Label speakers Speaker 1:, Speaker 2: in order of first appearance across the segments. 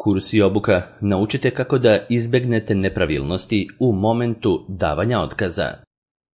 Speaker 1: Kurs i obuka naučite kako da izbegnete nepravilnosti u momentu davanja otkaza.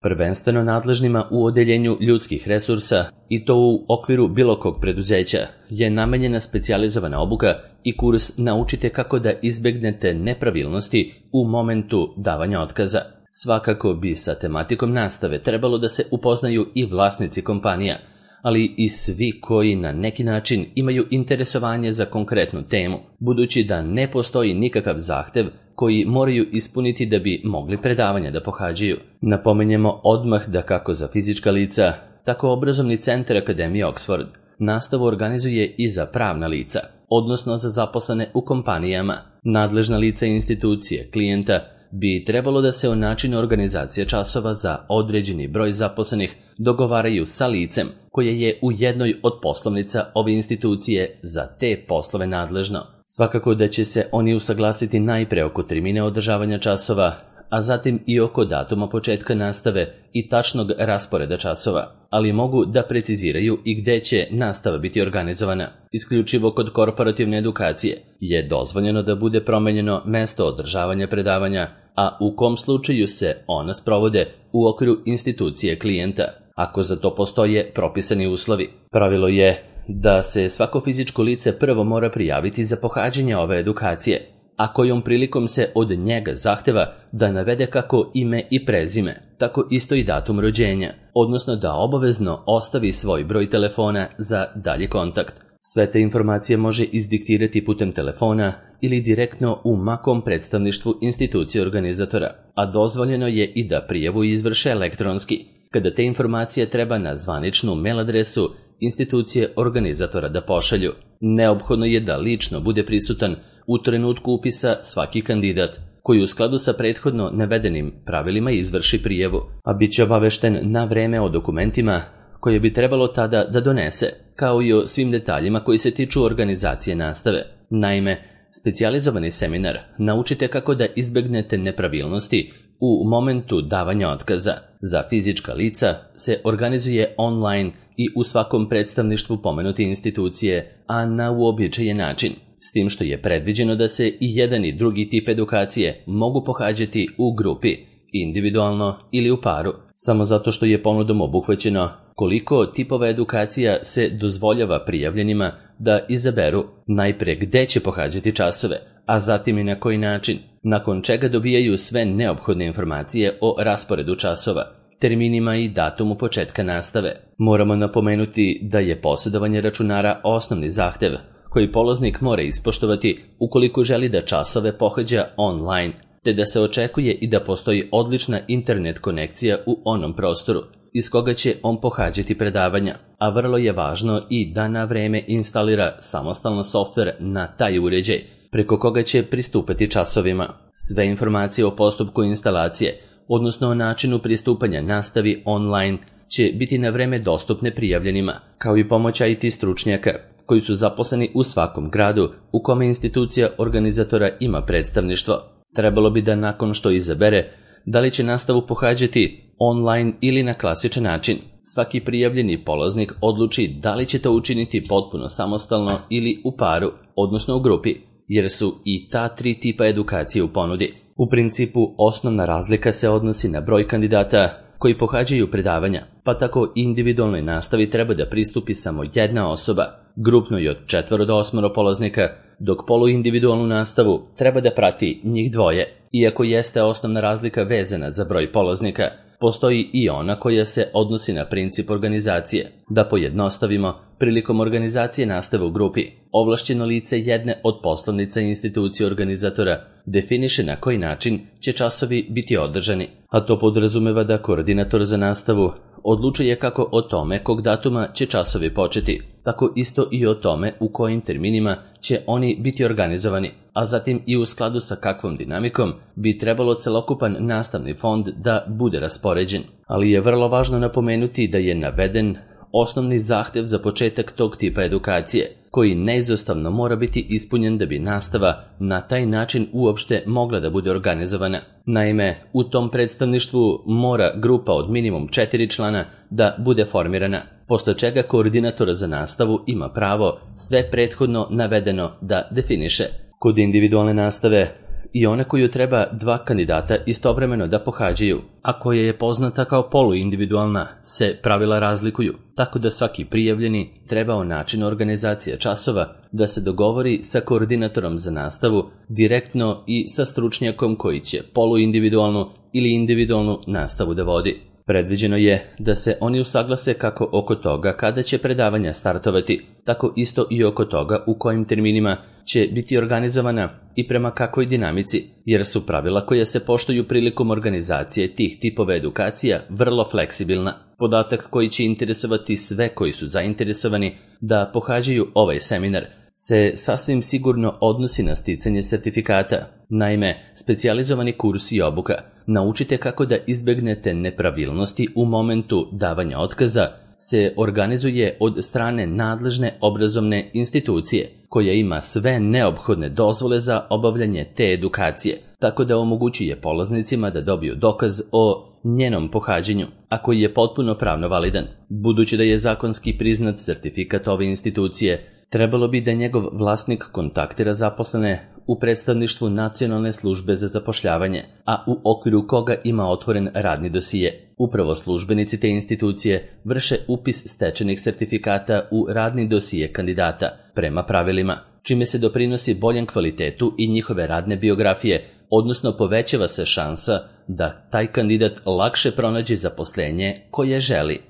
Speaker 1: Prvenstveno nadležnima u odeljenju ljudskih resursa, i to u okviru bilo kog preduzeća, je namenjena specijalizovana obuka i kurs naučite kako da izbegnete nepravilnosti u momentu davanja otkaza. Svakako bi sa tematikom nastave trebalo da se upoznaju i vlasnici kompanija, ali i svi koji na neki način imaju interesovanje za konkretnu temu, budući da ne postoji nikakav zahtev koji moraju ispuniti da bi mogli predavanja da pohađaju. Napominjemo odmah da kako za fizička lica, tako obrazovni centar Akademije Oxford nastavu organizuje i za pravna lica, odnosno za zaposlene u kompanijama. Nadležna lica i institucije klijenta bi trebalo da se o načinu organizacije časova za određeni broj zaposlenih dogovaraju sa licem koje je u jednoj od poslovnica ove institucije za te poslove nadležno. Svakako da će se oni usaglasiti najpre oko termina održavanja časova, a zatim i oko datuma početka nastave i tačnog rasporeda časova, ali mogu da preciziraju i gde će nastava biti organizovana. Isključivo kod korporativne edukacije je dozvoljeno da bude promenjeno mesto održavanja predavanja, a u kom slučaju se ona sprovode u okviru institucije klijenta, ako za to postoje propisani uslovi. Pravilo je da se svako fizičko lice prvo mora prijaviti za pohađanje ove edukacije, a kojom prilikom se od njega zahteva da navede kako ime i prezime, tako isto i datum rođenja, odnosno da obavezno ostavi svoj broj telefona za dalji kontakt. Sve te informacije može izdiktirati putem telefona ili direktno u makom predstavništvu institucije organizatora, a dozvoljeno je i da prijavu izvrše elektronski, kada te informacije treba na zvaničnu mail adresu institucije organizatora da pošalju. Neophodno je da lično bude prisutan u trenutku upisa svaki kandidat, koji u skladu sa prethodno navedenim pravilima izvrši prijavu, a bit će obavešten na vreme o dokumentima koje bi trebalo tada da donese, kao i o svim detaljima koji se tiču organizacije nastave. Naime, specijalizovani seminar naučite kako da izbegnete nepravilnosti u momentu davanja otkaza za fizička lica se organizuje online i u svakom predstavništvu pomenute institucije, a na uobičajen način, s tim što je predviđeno da se i jedan i drugi tip edukacije mogu pohađati u grupi, individualno ili u paru, samo zato što je ponudom obuhvaćeno koliko tipova edukacija se dozvoljava prijavljenima da izaberu najpre gde će pohađati časove, a zatim i na koji način, nakon čega dobijaju sve neophodne informacije o rasporedu časova, terminima i datumu početka nastave. Moramo napomenuti da je posjedovanje računara osnovni zahtev koji polaznik mora ispoštovati ukoliko želi da časove pohađa online, te da se očekuje i da postoji odlična internet konekcija u onom prostoru iz koga će on pohađati predavanja, a vrlo je važno i da na vreme instalira samostalno softver na taj uređaj, preko koga će pristupati časovima. Sve informacije o postupku instalacije, odnosno o načinu pristupanja nastavi online, će biti na vreme dostupne prijavljenima, kao i pomoć IT stručnjaka, koji su zaposleni u svakom gradu u kome institucija organizatora ima predstavništvo. Trebalo bi da nakon što izabere da li će nastavu pohađati online ili na klasičan način, svaki prijavljeni polaznik odluči da li će to učiniti potpuno samostalno ili u paru, odnosno u grupi, jer su i ta tri tipa edukacije u ponudi. U principu, osnovna razlika se odnosi na broj kandidata koji pohađaju predavanja, pa tako individualnoj nastavi treba da pristupi samo jedna osoba, grupnoj od 4 do 8 polaznika, dok poluindividualnu nastavu treba da prati njih dvoje. Iako jeste osnovna razlika vezana za broj polaznika, postoji i ona koja se odnosi na princip organizacije. Da pojednostavimo, prilikom organizacije nastave u grupi, ovlašćeno lice jedne od poslovnica institucije organizatora definiše na koji način će časovi biti održani, a to podrazumeva da koordinator za nastavu odlučuje kako o tome kog datuma će časovi početi, tako isto i o tome u kojim terminima će oni biti organizovani, a zatim i u skladu sa kakvom dinamikom bi trebalo celokupan nastavni fond da bude raspoređen. Ali je vrlo važno napomenuti da je naveden osnovni zahtev za početak tog tipa edukacije, koji neizostavno mora biti ispunjen da bi nastava na taj način uopšte mogla da bude organizovana. Naime, u tom predstavništvu mora grupa od minimum 4 člana da bude formirana, posle čega koordinator za nastavu ima pravo sve prethodno navedeno da definiše. Kod individualne nastave i one koju treba 2 kandidata istovremeno da pohađaju, a koja je poznata kao poluindividualna, se pravila razlikuju, tako da svaki prijavljeni treba o načinu organizacije časova da se dogovori sa koordinatorom za nastavu direktno i sa stručnjakom koji će poluindividualnu ili individualnu nastavu da vodi. Predviđeno je da se oni usaglase kako oko toga kada će predavanja startovati, tako isto i oko toga u kojim terminima će biti organizovana i prema kakvoj dinamici, jer su pravila koja se poštuju prilikom organizacije tih tipova edukacija vrlo fleksibilna. Podatak koji će interesovati sve koji su zainteresovani da pohađaju ovaj seminar se sasvim sigurno odnosi na sticanje sertifikata. Naime, specijalizovani kurs i obuka Naučite kako da izbegnete nepravilnosti u momentu davanja otkaza se organizuje od strane nadležne obrazovne institucije koja ima sve neophodne dozvole za obavljanje te edukacije, tako da omogućuje polaznicima da dobiju dokaz o njenom pohađanju, a koji je potpuno pravno validan. Budući da je zakonski priznat sertifikat ove institucije, trebalo bi da njegov vlasnik kontaktira zaposlene u predstavništvu Nacionalne službe za zapošljavanje, a u okviru koga ima otvoren radni dosije. Upravo službenici te institucije vrše upis stečenih sertifikata u radni dosije kandidata prema pravilima, čime se doprinosi boljem kvalitetu i njihove radne biografije, odnosno povećava se šansa da taj kandidat lakše pronađe zaposlenje koje želi.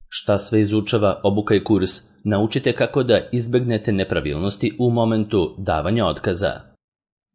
Speaker 1: Šta sve izučava obuka i kurs? Naučite kako da izbegnete nepravilnosti u momentu davanja otkaza.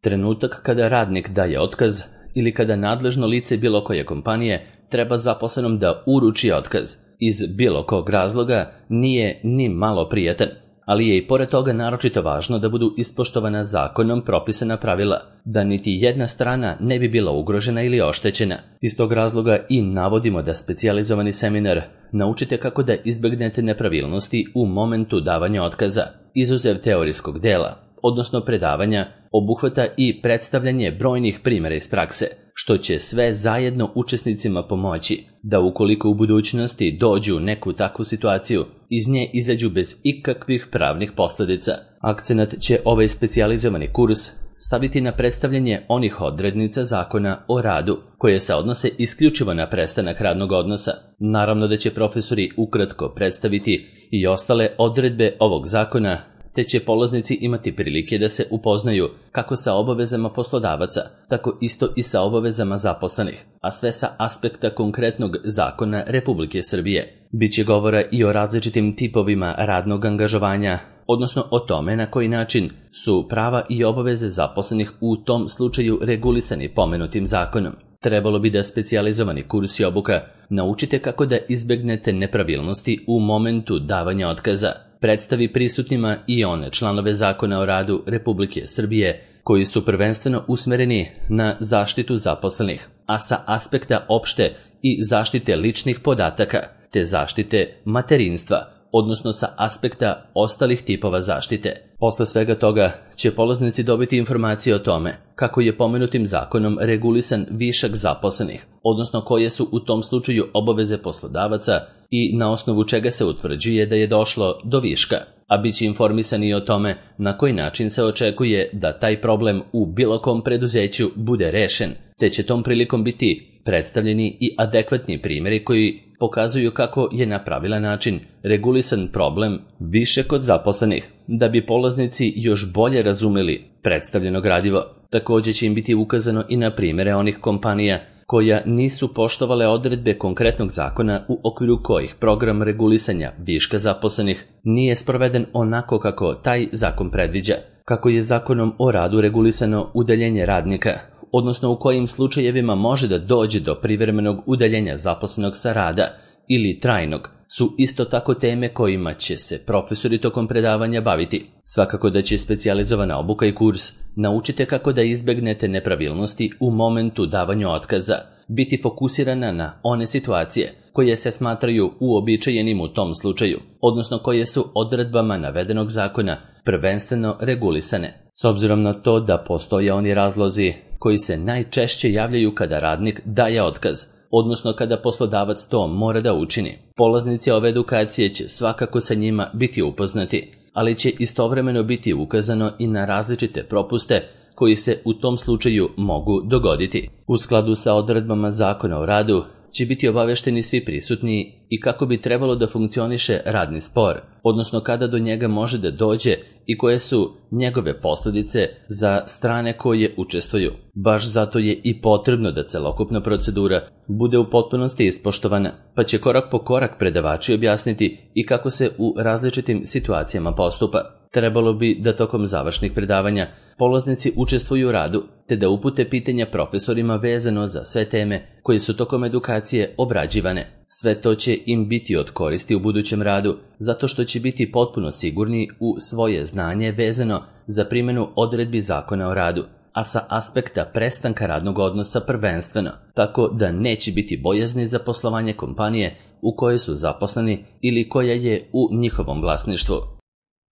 Speaker 1: Trenutak kada radnik daje otkaz ili kada nadležno lice bilo koje kompanije treba zaposlenom da uruči otkaz iz bilo kog razloga nije ni malo prijatan, ali je i pored toga naročito važno da budu ispoštovana zakonom propisana pravila, da niti jedna strana ne bi bila ugrožena ili oštećena. Iz tog razloga i navodimo da specijalizovani seminar Naučite kako da izbegnete nepravilnosti u momentu davanja otkaza, izuzev teorijskog dela, odnosno predavanja, obuhvata i predstavljanje brojnih primjera iz prakse, što će sve zajedno učesnicima pomoći da ukoliko u budućnosti dođu u neku takvu situaciju, iz nje izađu bez ikakvih pravnih posljedica. Akcenat će ovaj specijalizovani kurs staviti na predstavljanje onih odrednica zakona o radu, koje se odnose isključivo na prestanak radnog odnosa. Naravno da će profesori ukratko predstaviti i ostale odredbe ovog zakona, te će polaznici imati prilike da se upoznaju kako sa obavezama poslodavaca, tako isto i sa obavezama zaposlenih, a sve sa aspekta konkretnog zakona Republike Srbije. Biće govora i o različitim tipovima radnog angažovanja, odnosno o tome na koji način su prava i obaveze zaposlenih u tom slučaju regulisani pomenutim zakonom. Trebalo bi da specijalizovani kurs i obuka Naučite kako da izbegnete nepravilnosti u momentu davanja otkaza predstavi prisutnima i one članove zakona o radu Republike Srbije koji su prvenstveno usmereni na zaštitu zaposlenih, a sa aspekta opšte i zaštite ličnih podataka, te zaštite materinstva, odnosno sa aspekta ostalih tipova zaštite. Posle svega toga će polaznici dobiti informacije o tome kako je pomenutim zakonom regulisan višak zaposlenih, odnosno koje su u tom slučaju obaveze poslodavaca i na osnovu čega se utvrđuje da je došlo do viška, a bit će informisani o tome na koji način se očekuje da taj problem u bilo kom preduzeću bude rešen, te će tom prilikom biti predstavljeni i adekvatni primjeri koji pokazuju kako je na pravilan način regulisan problem više kod zaposlenih, da bi polaznici još bolje razumeli predstavljeno gradivo. Također će im biti ukazano i na primjere onih kompanija koja nisu poštovale odredbe konkretnog zakona u okviru kojih program regulisanja viška zaposlenih nije sproveden onako kako taj zakon predviđa, kako je zakonom o radu regulisano udaljenje radnika, odnosno u kojim slučajevima može da dođe do privremenog udaljenja zaposlenog sa rada ili trajnog, su isto tako teme kojima će se profesori tokom predavanja baviti. Svakako da će specijalizovana obuka i kurs Naučite kako da izbegnete nepravilnosti u momentu davanja otkaza biti fokusirana na one situacije koje se smatraju uobičajenim u tom slučaju, odnosno koje su odredbama navedenog zakona prvenstveno regulisane. S obzirom na to da postoje oni razlozi koji se najčešće javljaju kada radnik daje otkaz, odnosno kada poslodavac to mora da učini. Polaznici ove edukacije će svakako sa njima biti upoznati, ali će istovremeno biti ukazano i na različite propuste koji se u tom slučaju mogu dogoditi. U skladu sa odredbama Zakona o radu će biti obavešteni svi prisutni i kako bi trebalo da funkcioniše radni spor, odnosno kada do njega može da dođe i koje su njegove posljedice za strane koje učestvuju. Baš zato je i potrebno da celokupna procedura bude u potpunosti ispoštovana, pa će korak po korak predavači objasniti i kako se u različitim situacijama postupa. Trebalo bi da tokom završnih predavanja polaznici učestvuju u radu, te da upute pitanja profesorima vezano za sve teme koje su tokom edukacije obrađivane. Sve to će im biti od koristi u budućem radu, zato što će biti potpuno sigurni u svoje znanje vezano za primjenu odredbi Zakona o radu, a sa aspekta prestanka radnog odnosa prvenstveno, tako da neće biti bojazni za poslovanje kompanije u kojoj su zaposleni ili koja je u njihovom vlasništvu.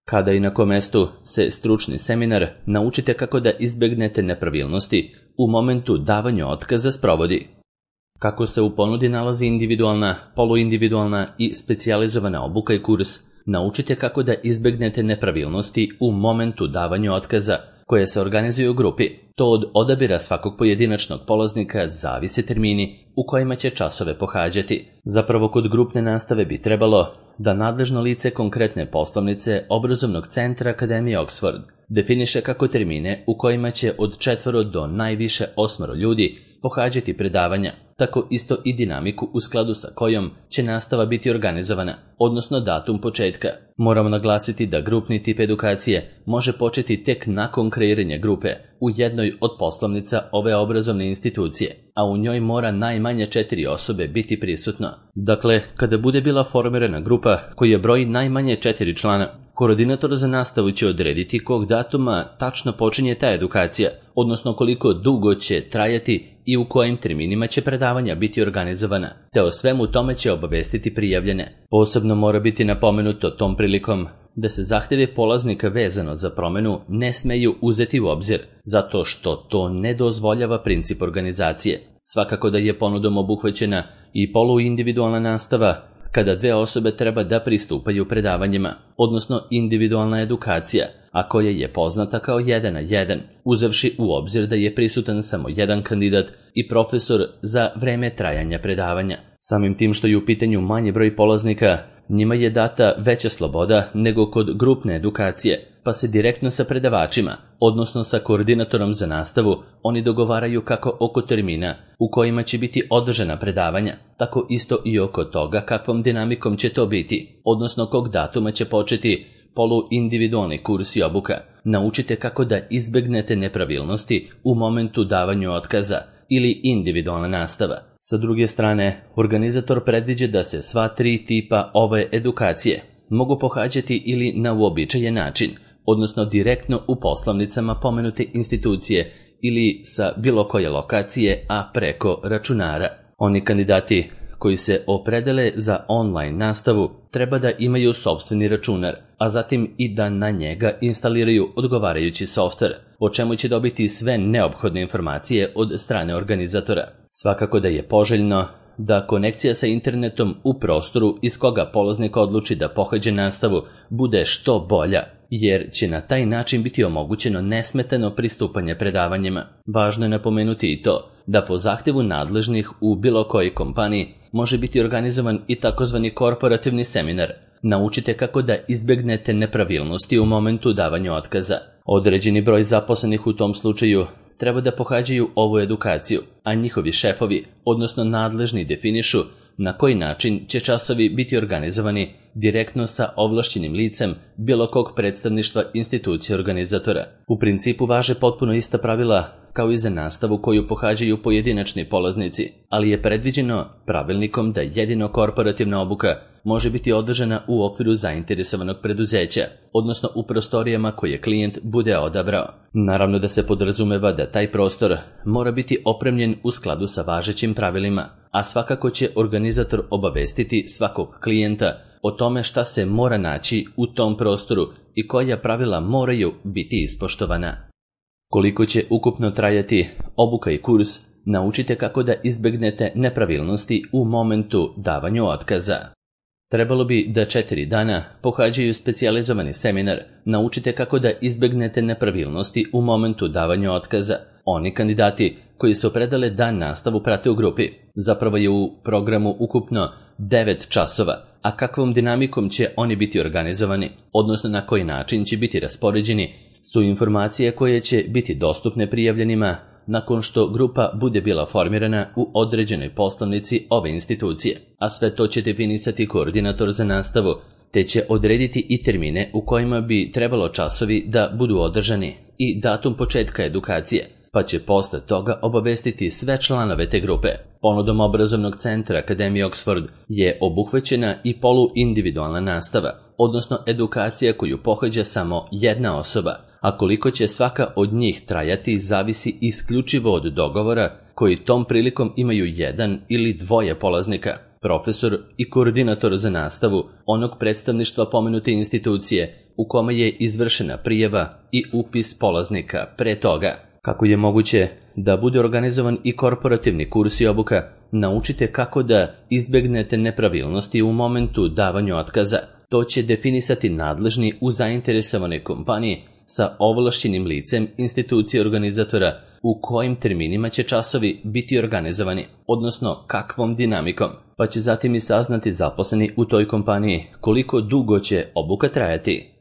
Speaker 1: Kada i na kom mestu se stručni seminar Naučite kako da izbjegnete nepravilnosti u momentu davanja otkaza sprovodi. Kako se u ponudi nalazi individualna, poluindividualna i specijalizovana obuka i kurs Naučite kako da izbjegnete nepravilnosti u momentu davanja otkaza koje se organizuju u grupi. To od odabira svakog pojedinačnog polaznika zavise termini u kojima će časove pohađati. Zapravo kod grupne nastave bi trebalo da nadležno lice konkretne poslovnice obrazovnog centra Akademije Oxford definiše kako termine u kojima će od 4 do najviše 8 ljudi pohađati predavanja, tako isto i dinamiku u skladu sa kojom će nastava biti organizovana, odnosno datum početka. Moramo naglasiti da grupni tip edukacije može početi tek nakon kreiranja grupe u jednoj od poslovnica ove obrazovne institucije, a u njoj mora najmanje 4 osobe biti prisutno. Dakle, kada bude bila formirana grupa koja broji najmanje 4 člana, koordinator za nastavu će odrediti kog datuma tačno počinje ta edukacija, odnosno koliko dugo će trajati i u kojim terminima će predavanja biti organizovana, te o svemu tome će obavestiti prijavljene. Posebno mora biti napomenuto tom prilikom da se zahtjeve polaznika vezano za promjenu ne smeju uzeti u obzir, zato što to ne dozvoljava princip organizacije. Svakako da je ponudom obuhvaćena i poluindividualna nastava, kada 2 osobe treba da pristupaju predavanjima, odnosno individualna edukacija, a koja je poznata kao 1 na 1, uzevši u obzir da je prisutan samo jedan kandidat i profesor za vreme trajanja predavanja. Samim tim što je u pitanju manji broj polaznika, njima je data veća sloboda nego kod grupne edukacije, pa se direktno sa predavačima, odnosno sa koordinatorom za nastavu, oni dogovaraju kako oko termina u kojima će biti održana predavanja, tako isto i oko toga kakvom dinamikom će to biti, odnosno kog datuma će početi poluindividualni kurs i obuka. Naučite kako da izbjegnete nepravilnosti u momentu davanju otkaza ili individualna nastava. Sa druge strane, organizator predviđa da se sva 3 tipa ove edukacije mogu pohađati ili na uobičajen način, odnosno direktno u poslovnicama pomenute institucije ili sa bilo koje lokacije, a preko računara. Oni kandidati koji se opredele za online nastavu treba da imaju sopstveni računar, a zatim i da na njega instaliraju odgovarajući softver, o čemu će dobiti sve neophodne informacije od strane organizatora. Svakako da je poželjno da konekcija sa internetom u prostoru iz koga polaznik odluči da pohađa nastavu bude što bolja, jer će na taj način biti omogućeno nesmetano pristupanje predavanjima. Važno je napomenuti i to da po zahtjevu nadležnih u bilo kojoj kompaniji može biti organizovan i takozvani korporativni seminar. Naučite kako da izbjegnete nepravilnosti u momentu davanja otkaza. Određeni broj zaposlenih u tom slučaju treba da pohađaju ovu edukaciju, a njihovi šefovi, odnosno nadležni, definišu na koji način će časovi biti organizovani direktno sa ovlašćenim licem bilo kog predstavništva institucije organizatora. U principu važe potpuno ista pravila kao i za nastavu koju pohađaju pojedinačni polaznici, ali je predviđeno pravilnikom da jedino korporativna obuka može biti održana u okviru zainteresovanog preduzeća, odnosno u prostorijama koje klijent bude odabrao. Naravno da se podrazumeva da taj prostor mora biti opremljen u skladu sa važećim pravilima, a svakako će organizator obavestiti svakog klijenta o tome šta se mora naći u tom prostoru i koja pravila moraju biti ispoštovana. Koliko će ukupno trajati obuka i kurs, naučite kako da izbjegnete nepravilnosti u momentu davanju otkaza. Trebalo bi da 4 dana pohađaju specijalizovani seminar, naučite kako da izbegnete nepravilnosti u momentu davanja otkaza. Oni kandidati koji se opredale da nastavu prate u grupi. Zapravo je u programu ukupno 9 časova, a kakvom dinamikom će oni biti organizovani, odnosno na koji način će biti raspoređeni, su informacije koje će biti dostupne prijavljenima nakon što grupa bude bila formirana u određenoj poslovnici ove institucije, a sve to će definisati koordinator za nastavu, te će odrediti i termine u kojima bi trebalo časovi da budu održani i datum početka edukacije, pa će posle toga obavestiti sve članove te grupe. Ponudom obrazovnog centra Akademije Oxford je obuhvaćena i poluindividualna nastava, odnosno edukacija koju pohađa samo jedna osoba, a koliko će svaka od njih trajati zavisi isključivo od dogovora koji tom prilikom imaju jedan ili dvoje polaznika, profesor i koordinator za nastavu onog predstavništva pomenute institucije u kome je izvršena prijava i upis polaznika pre toga. Kako je moguće da bude organizovan i korporativni kurs i obuka, naučite kako da izbegnete nepravilnosti u momentu davanja otkaza. To će definisati nadležni u zainteresovanoj kompaniji sa ovlašćenim licem institucije organizatora u kojim terminima će časovi biti organizovani, odnosno kakvom dinamikom, pa će zatim i saznati zaposleni u toj kompaniji koliko dugo će obuka trajati.